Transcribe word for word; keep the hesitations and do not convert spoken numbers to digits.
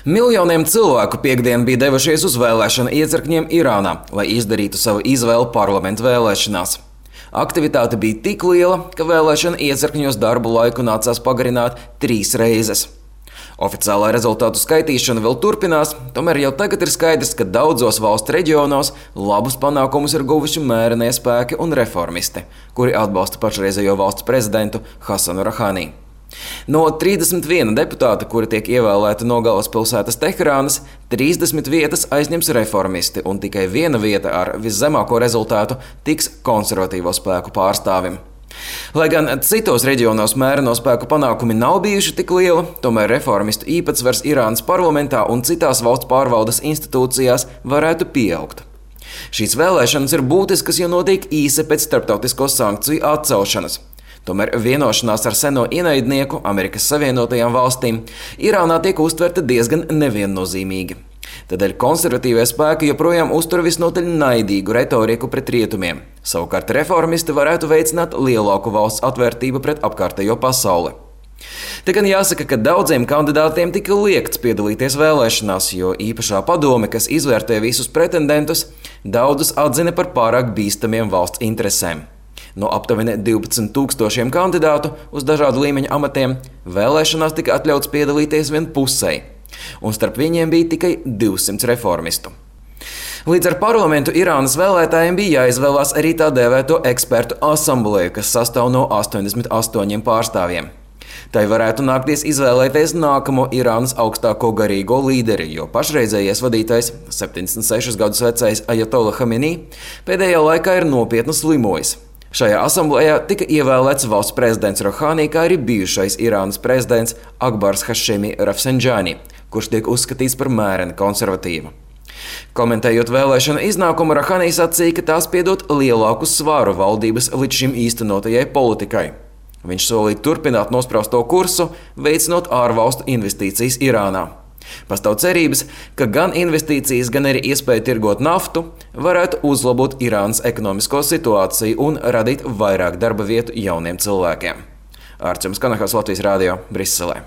Miljoniem cilvēku piekdien bija devušies uz vēlēšanu iecirkņiem Irānā, lai izdarītu savu izvēli parlamentu vēlēšanās. Aktivitāte bija tik liela, ka vēlēšana iecirkņos darbu laiku nācās pagarināt trīs reizes. Oficiālā rezultātu skaitīšana vēl turpinās, tomēr jau tagad ir skaidrs, ka daudzos valsts reģionos labus panākumus ir guvuši mērenie spēki un reformisti, kuri atbalsta pašreizējo valsts prezidentu Hasanu Rohani. No trīsdesmit viena deputāta, kuri tiek ievēlēti no galvaspilsētas Teherānas, trīsdesmit vietas aizņems reformisti, un tikai viena vieta ar viszemāko rezultātu tiks konservatīvo spēku pārstāvim. Lai gan citos reģionos mēreno spēku panākumi nav bijuši tik lieli, tomēr reformistu īpatsvars Irānas parlamentā un citās valsts pārvaldes institūcijās varētu pieaugt. Šīs vēlēšanas ir būtiskas, jo notiek īsi pēc starptautisko sankciju atcelšanas. Tomēr vienošanās ar seno ienaidnieku, Amerikas Savienotajām valstīm, Irānā tiek uztverta diezgan neviennozīmīgi. Tādēļ konservatīvie spēki joprojām uztur visnotaļ naidīgu retoriku pret rietumiem. Savukārt reformisti varētu veicināt lielāku valsts atvērtību pret apkārtējo pasauli. Te gan jāsaka, ka daudziem kandidātiem tika liegts piedalīties vēlēšanās, jo īpašā padome, kas izvērtē visus pretendentus, daudzus atzina par pārāk bīstamiem valsts interesēm. No aptuveni divpadsmit tūkstošiem kandidātu uz dažādu līmeņu amatiem vēlēšanās tika atļauts piedalīties vien pusei, un starp viņiem bija tikai divsimt reformistu. Līdz ar parlamentu Irānas vēlētājiem bija jāizvēlās arī tā dēvēto ekspertu asambleju, kas sastāv no astoņdesmit astoņiem pārstāvjiem. Tai varētu nākties izvēlēties nākamo Irānas augstāko garīgo līderi, jo pašreizējais vadītājs, septiņdesmit sešus gadus vecais Ajatola Hamenī, pēdējā laikā ir nopietni slimojis. Šajā asamblējā tika ievēlēts valsts prezidents Rohani, kā arī bijušais Irānas prezidents Akbars Hašemi Rafsanjani, kurš tiek uzskatīts par mēreni konservatīvu. Komentējot vēlēšanu iznākumu, Rohani sacīja, ka tās piedot lielāku svāru valdības līdz šim īstenotajai politikai. Viņš solīja turpināt nosprausto kursu, veicinot ārvalstu investīcijas Irānā. Pastāv cerības, ka gan investīcijas, gan arī iespēja tirgot naftu varētu uzlabot Irānas ekonomisko situāciju un radīt vairāk darba vietu jauniem cilvēkiem. Ārčums Kanahas, Latvijas Rādio, Briselē.